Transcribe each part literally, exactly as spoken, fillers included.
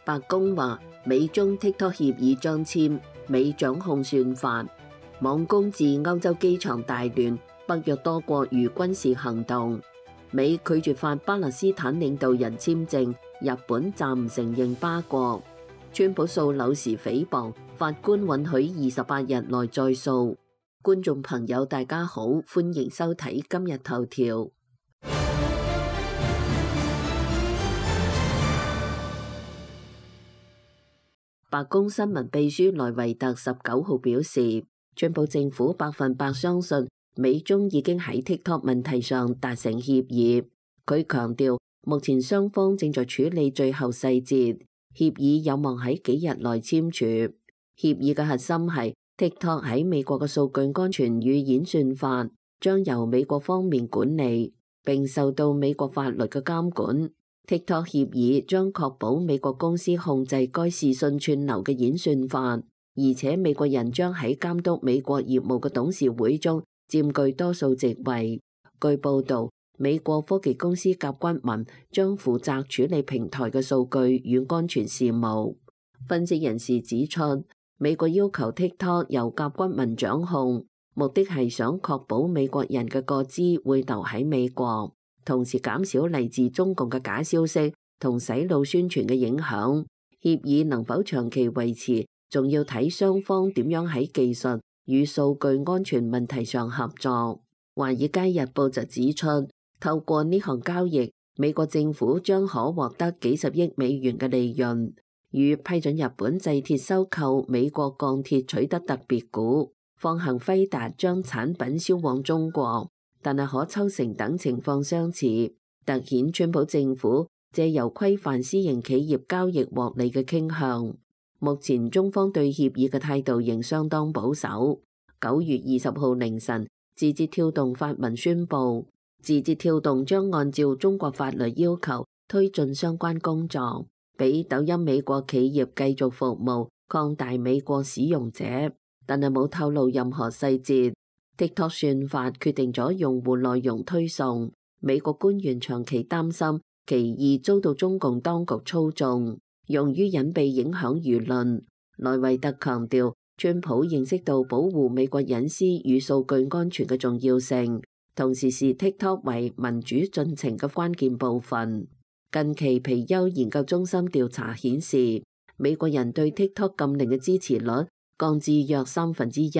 白宮話美中 TikTok 協議將簽，美掌控算法，網攻致歐洲機場大亂，北約多國如軍事行動，美拒絕發巴勒斯坦領導人簽證，日本暫唔承認巴國，川普訴紐時誹謗，法官允許二十八日內再訴。觀眾朋友大家好，歡迎收睇今日頭條。白宮新聞秘書萊維特十九號表示，川普政府百分百相信美中已經喺 TikTok 問題上達成協議。佢強調，目前雙方正在處理最後細節，協議有望喺幾日內簽署。協議嘅核心係 TikTok 喺美國嘅數據安全與演算法將由美國方面管理，並受到美國法律嘅監管。TikTok 協議將確保美國公司控制該視訊串流嘅演算法，而且美國人將喺監督美國業務嘅董事會中佔據多數席位。據報導，美國科技公司甲骨文將負責處理平台嘅數據與安全事務。分析人士指出，美國要求 TikTok 由甲骨文掌控，目的係想確保美國人嘅個資會留喺美國，同時減少嚟自中共嘅假消息同洗腦宣傳嘅影響。協議能否長期維持，仲要睇雙方點樣喺技術與數據安全問題上合作。華爾街日報就指出，透過呢項交易，美國政府將可獲得幾十億美元嘅利潤，與批准日本製鐵收購美國鋼鐵取得特別股，放行輝達將產品銷往中國，但係可抽成等情況相似，凸顯川普政府借由規範私營企業交易獲利嘅傾向。目前中方對協議嘅態度仍相當保守。九月二十號凌晨，字節跳動發文宣布，字節跳動將按照中國法律要求推進相關工作，俾抖音美國企業繼續服務，擴大美國使用者，但係冇透露任何細節。TikTok 算法決定咗用戶內容推送，美國官員長期擔心其易遭到中共當局操縱，用於隱蔽影響輿論。萊維特強調，川普認識到保護美國隱私與數據安全嘅重要性，同時視 TikTok 為民主進程嘅關鍵部分。近期皮尤研究中心調查顯示，美國人對 TikTok 禁令嘅支持率降至約三分之一。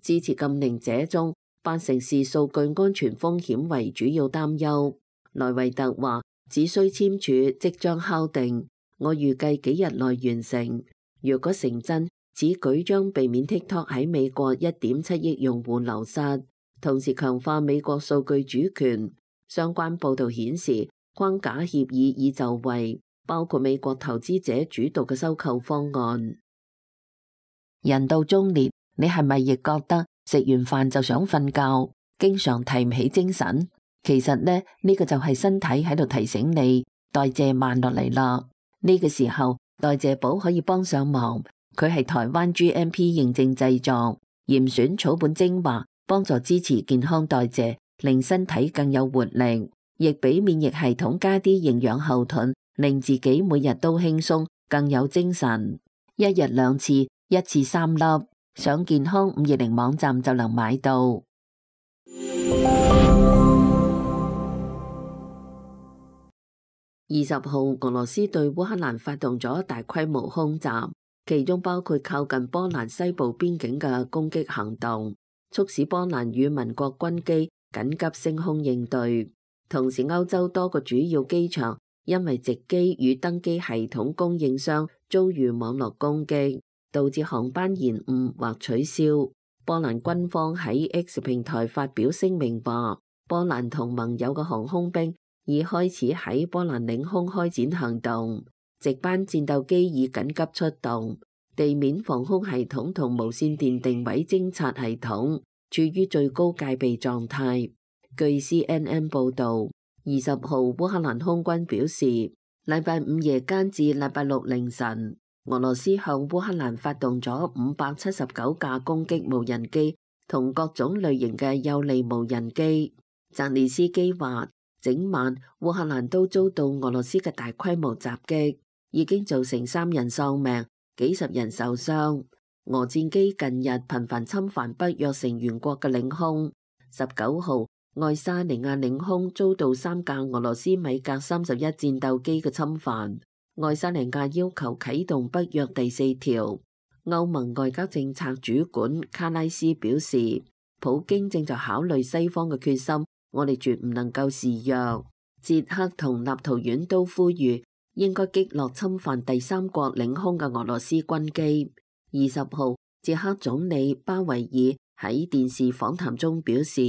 支持禁令者中，八成視數據安全風險為主要擔憂。萊維特話：只需簽署，即將敲定。我預計幾日內完成。如果成真，此舉將避免 TikTok 喺美國一點七億用戶流失，同時強化美國數據主權。相關報導顯示，框架協議已就位，包括美國投資者主導嘅收購方案。人到中年，你係咪亦覺得食完飯就想瞓覺，經常提唔起精神？其實呢，呢個就係身體喺度提醒你代謝慢落嚟啦。呢個時候，代謝寶可以幫上忙。佢係台灣 G M P 認證製作，嚴選草本精華，幫助支持健康代謝，令身體更有活力，亦俾免疫系統加啲營養後盾，令自己每日都輕鬆，更有精神。一日兩次，一次三粒。上健康五二零網站就能買到。二十號，俄羅斯對烏克蘭發動咗大規模空襲，其中包括靠近波蘭西部邊境嘅攻擊行動，促使波蘭與民國軍機緊急升空應對。同時，歐洲多個主要機場因為值機與登機系統供應商遭遇網絡攻擊，導致航班延誤或取消。波蘭軍方喺 X 平台發表聲明話，波蘭同盟友嘅航空兵已開始喺波蘭領空開展行動，值班戰鬥機已緊急出動，地面防空系統同無線電定位偵察系統處於最高戒備狀態。據 C N N 報導，二十號烏克蘭空軍表示，禮拜五夜間至禮拜六凌晨，俄羅斯向烏克蘭發動咗五百七十九架攻擊無人機同各種類型嘅幼利無人機。澤連斯基話，整晚烏克蘭都遭到俄羅斯嘅大規模襲擊，已經造成三人喪命，幾十人受傷。俄戰機近日頻繁侵犯北約成員國嘅領空。十九號，愛沙尼亞領空遭到三架俄羅斯米格三十一戰鬥機嘅侵犯。愛沙尼亞要求啟動北約第四條。歐盟外交政策主管卡拉斯表示，普京正在考慮西方嘅決心，我哋絕唔能夠示弱。捷克同立陶宛都呼籲應該擊落侵犯第三國領空嘅俄羅斯軍機。二十號，捷克總理巴維爾喺電視訪談中表示，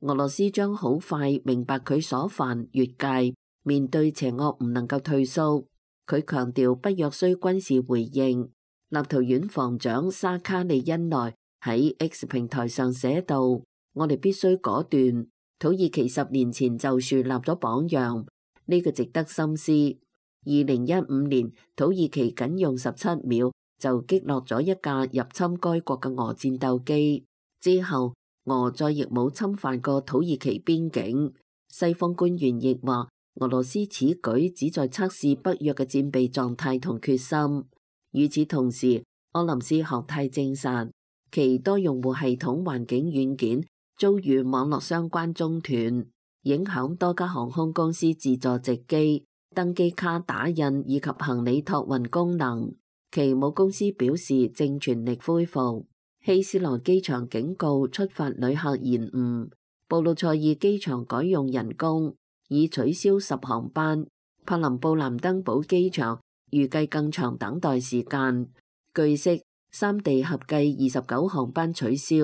俄羅斯將好快明白佢所犯越界，面對邪惡唔能夠退縮。佢強調北約需軍事回應。立陶宛防長沙卡利恩內喺 X 平台上寫道：我哋必須果斷。土耳其十年前就樹立咗榜樣，呢個值得深思。二零一五年，土耳其僅用十七秒就擊落咗一架入侵該國嘅俄戰鬥機，之後俄再亦冇侵犯過土耳其邊境。西方官員亦話，俄羅斯此舉旨在測試北約嘅戰備狀態同決心。與此同時，柯林斯學泰證實其多用戶系統環境軟件遭遇網絡相關中斷，影響多家航空公司自助值機、登機卡打印以及行李託運功能。其母公司表示正全力恢復。希斯羅機場警告出發旅客延誤。布魯塞爾機場改用人工，已取消十航班。柏林布蘭登堡機場預計更長等待時間。據悉，三地合計二十九航班取消。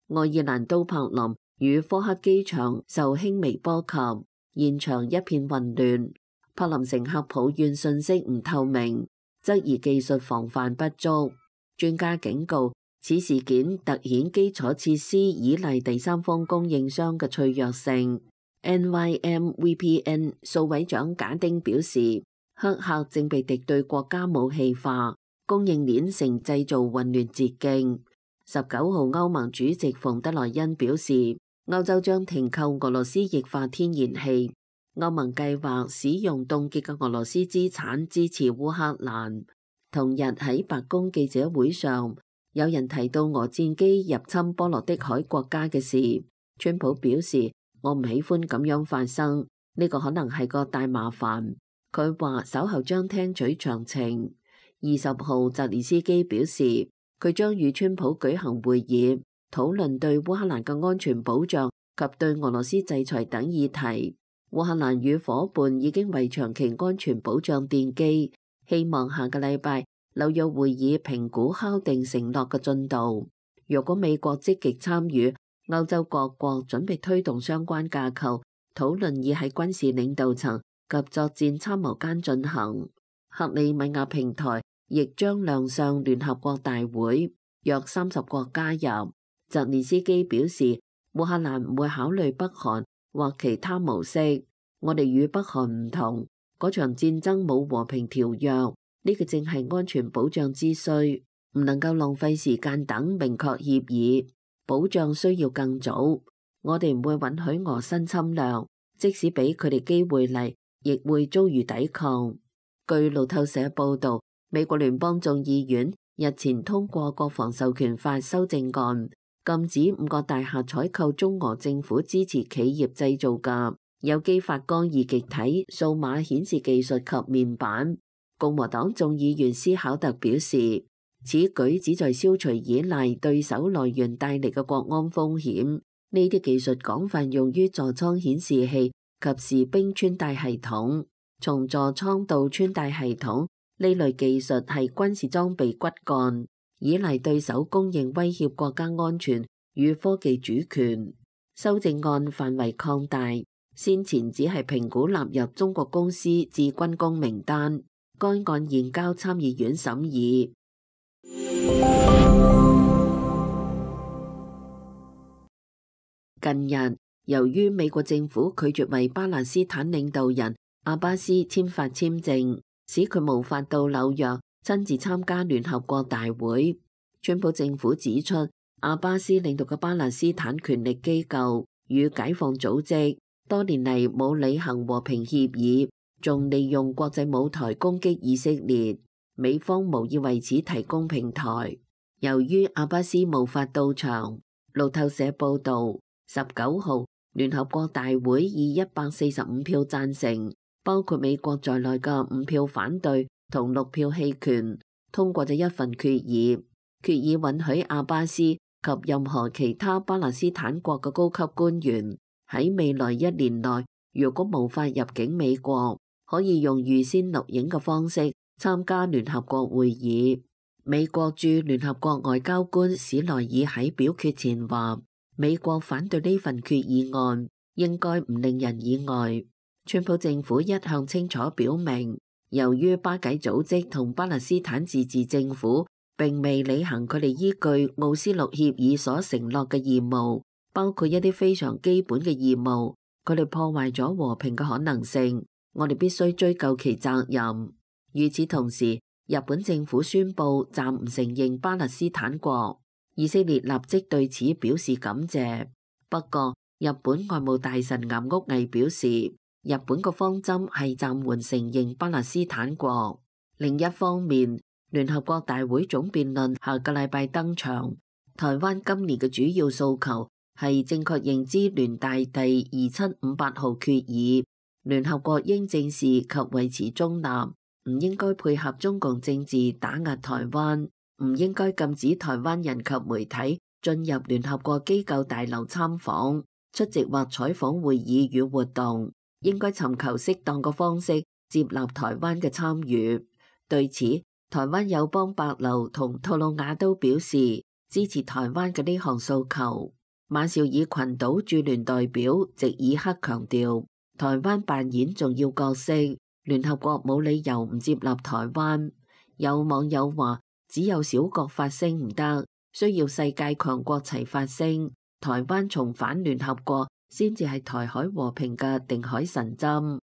愛爾蘭都柏林與科克機場受輕微波及，現場一片混亂。柏林乘客抱怨信息唔透明，質疑技術防範不足。專家警告，此事件凸顯基礎設施依賴第三方供應商嘅脆弱性。N Y M V P N 數位長賈丁表示，黑客正被敵對國家武器化，供應鏈成製造混亂捷徑。十九號，歐盟主席馮德萊恩表示，歐洲將停購俄羅斯液化天然氣。歐盟計劃使用凍結嘅俄羅斯資產支持烏克蘭。同日喺白宮記者會上，有人提到俄戰機入侵波羅的海國家嘅事。川普表示，我唔喜歡咁樣發生，呢個可能係個大麻煩。佢話稍後將聽取詳情。二十號，澤連斯基表示，佢將與川普舉行會議，討論對烏克蘭嘅安全保障及對俄羅斯制裁等議題。烏克蘭與夥伴已經為長期安全保障奠基，希望下個禮拜紐約會議評估敲定承諾嘅進度。若果美國積極參與，歐洲各國準備推動相關架構，討論已喺軍事領導層及作戰參謀間進行。克里米亞平台亦將亮相聯合國大會，約三十國加入。澤連斯基表示，烏克蘭唔會考慮北韓或其他模式，我哋與北韓唔同，嗰場戰爭冇和平條約，呢個正係安全保障之需，唔能夠浪費時間等明確協議，保障需要更早。我哋唔會允許俄新侵略，即使俾佢哋機會嚟，亦會遭遇抵抗。據路透社報道，美國聯邦眾議院日前通過國防授權法修正案，禁止五個大廈採購中俄政府支持企業製造嘅有機發光二極體數碼顯示技術及面板。共和黨眾議員斯考特表示，此舉旨在消除依賴對手來源帶嚟嘅國安風險。呢啲技術廣泛用於座艙顯示器及士兵穿戴系統。從座艙到穿戴系統，呢類技術係軍事裝備骨幹，依賴對手供應威脅國家安全與科技主權。修正案範圍擴大，先前只係評估納入中國公司至軍工名單，該案現交參議院審議。近日，由於美國政府拒絕為巴勒斯坦領導人阿巴斯簽發簽證，使佢無法到紐約親自參加聯合國大會。川普政府指出，阿巴斯領導嘅巴勒斯坦權力機構與解放組織多年嚟冇履行和平協議，仲利用國際舞台攻擊以色列，美方無意為此提供平台。由於阿巴斯無法到場，路透社報導，十九號聯合國大會以一百四十五票贊成，包括美國在內嘅五票反對同六票棄權，通過咗一份決議，決議允許阿巴斯及任何其他巴勒斯坦國嘅高級官員喺未來一年內，如果無法入境美國，可以用預先錄影嘅方式參加聯合國會議。美國駐聯合國外交官史萊爾喺表決前話，美國反對呢份決議案應該唔令人意外。川普政府一向清楚表明，由於巴解組織同巴勒斯坦自治政府並未履行佢哋依據奧斯陸協議所承諾嘅義務，包括一啲非常基本嘅義務，佢哋破壞咗和平嘅可能性，我哋必須追究其責任。與此同時，日本政府宣布暫唔承認巴勒斯坦國，以色列立即對此表示感謝。不過，日本外務大臣岩屋毅表示，日本個方針係暫緩承認巴勒斯坦國。另一方面，聯合國大會總辯論下個禮拜登場，台灣今年嘅主要訴求係正確認知聯大第二七五八號決議，聯合國應正視及維持中立，唔應該配合中共政治打壓台灣，唔應該禁止台灣人及媒體進入聯合國機構大樓參訪、出席或採訪會議與活動，應該尋求適當嘅方式接納台灣嘅參與。對此，台灣友邦帛琉同吐魯瓦都表示支持台灣嘅呢項訴求。馬紹爾群島駐聯代表席爾克強調，台灣扮演重要角色，聯合國冇理由唔接納台灣。有網友話，只有小國發聲唔得，需要世界強國齊發聲。台灣重返聯合國先至係台海和平嘅定海神針。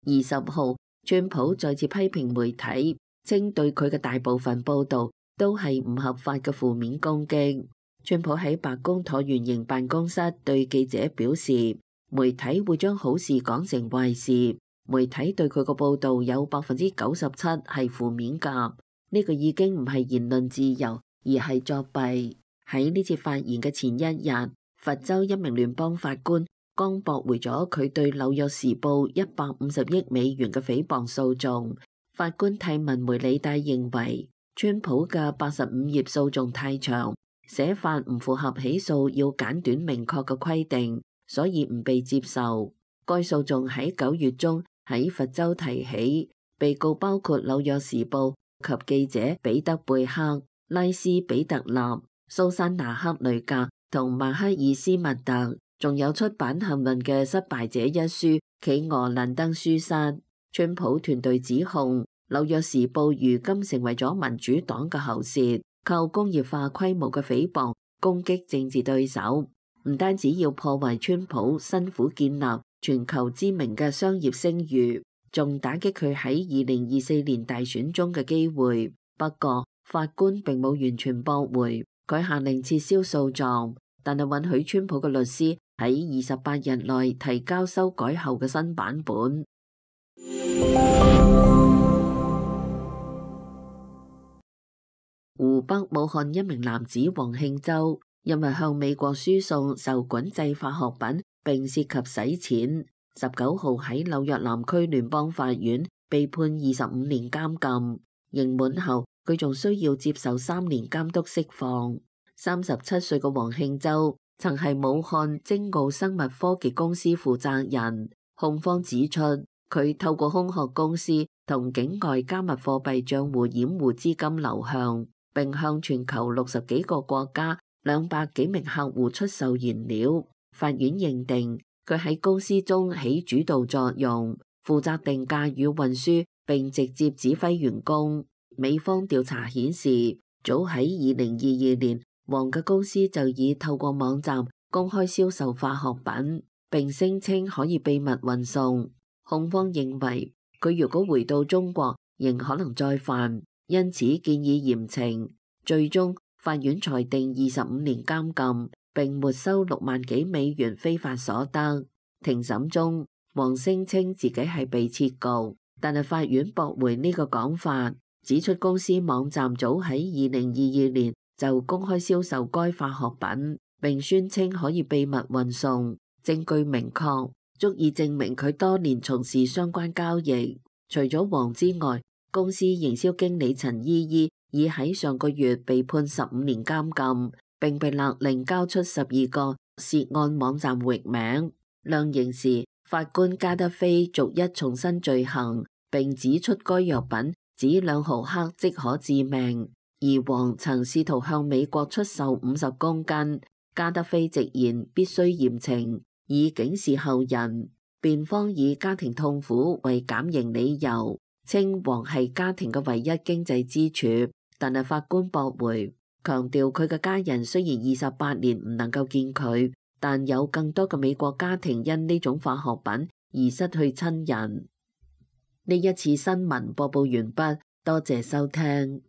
二十號，川普再次批評媒體，稱對佢嘅大部分報導都係唔合法嘅負面攻擊。川普喺白宮橢圓形辦公室對記者表示，媒體會將好事講成壞事，媒體對佢個報導有百分之九十七係負面㗎。呢個已經唔係言論自由，而係作弊。喺呢次發言嘅前一日，佛州一名聯邦法官剛駁回咗佢對紐約時報一百五十億美元嘅誹謗訴訟。法官替文梅里戴認為，川普嘅八十五頁訴訟太長，寫法唔符合起訴要簡短明確嘅規定，所以唔被接受。該訴訟喺九月中喺佛州提起，被告包括紐約時報及記者彼得貝克、拉斯比特納、蘇珊娜克雷格同馬克爾斯密特，仲有出版幸運嘅失敗者一書企鵝蘭登書室。川普團隊指控紐約時報如今成為咗民主黨嘅喉舌，靠工業化規模嘅誹謗攻擊政治對手，唔單止要破壞川普辛苦建立全球知名嘅商業聲譽，仲打擊佢喺二零二四年大選中嘅機會。不過法官並冇完全駁回，佢下令撤銷訴狀，但係允許川普嘅律師喺二十八日內提交修改後嘅新版本。湖北武漢一名男子黃慶洲，因為向美國輸送受管制化學品並涉及洗錢，十九號喺紐約南區聯邦法院被判二十五年監禁。刑滿後，佢仲需要接受三年監督釋放。三十七歲嘅黃慶洲曾係武漢精奧生物科技公司負責人。控方指出，佢透過空殼公司同境外加密貨幣賬戶掩護資金流向，並向全球六十幾個國家兩百幾名客戶出售原料。法院認定佢喺公司中起主導作用，負責定價與運輸，並直接指揮員工。美方調查顯示，早喺二零二二年，黃嘅公司就已透過網站公開銷售化學品，並聲稱可以秘密運送。控方認為佢如果回到中國，仍可能再犯，因此建議嚴懲。最終法院裁定二十五年監禁，並沒收六萬幾美元非法所得。庭審中，黃聲稱自己係被撤局，但係法院駁回呢個講法，指出公司網站早喺二零二二年就公開銷售該化學品，並宣稱可以秘密運送，證據明確，足以證明佢多年從事相關交易。除咗黃之外，公司營銷經理陳依依已喺上個月被判十五年監禁，並被勒令交出十二個涉案網站域名。量刑時，法官加德菲逐一重申罪行，並指出該藥品只兩毫克即可致命，而黃曾試圖向美國出售五十公斤。加德菲直言必須嚴懲，以警示後人。辯方以家庭痛苦為減刑理由，稱黃係家庭嘅唯一經濟支柱，但係法官駁回，強調佢嘅家人雖然二十八年唔能夠見佢，但有更多嘅美國家庭因呢種化學品而失去親人。呢一次新聞播報完畢，多謝收聽。